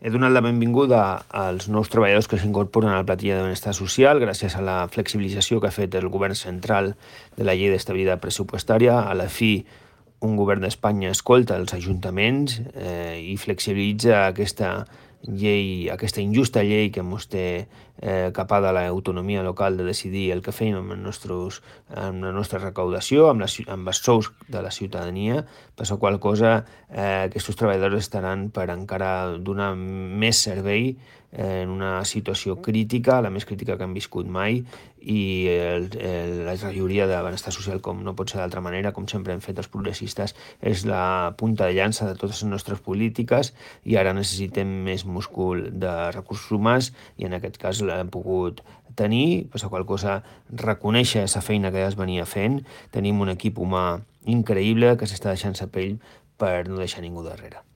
He donat la benvinguda als nous treballadors que s'incorporen a la plantilla de benestar social gràcies a la flexibilització que ha fet el govern central de la llei d'estabilitat pressupostària. A la fi, un govern d'Espanya escolta els ajuntaments i flexibilitza aquesta injusta llei que ens té capada l'autonomia local de decidir el que feim amb la nostra recaudació, amb els sous de la ciutadania, per la qual cosa aquests treballadors estaran per encara donar més servei en una situació crítica, la més crítica que han viscut mai, i la regidoria de benestar social, com no pot ser d'altra manera, com sempre hem fet els progressistes, és la punta de llança de totes les nostres polítiques, i ara necessitem més múscul de recursos humans, i en aquest cas l'hem pogut tenir, per la qual cosa reconèixer la feina que ja es venia fent. Tenim un equip humà increïble que s'està deixant la pell per no deixar ningú darrere.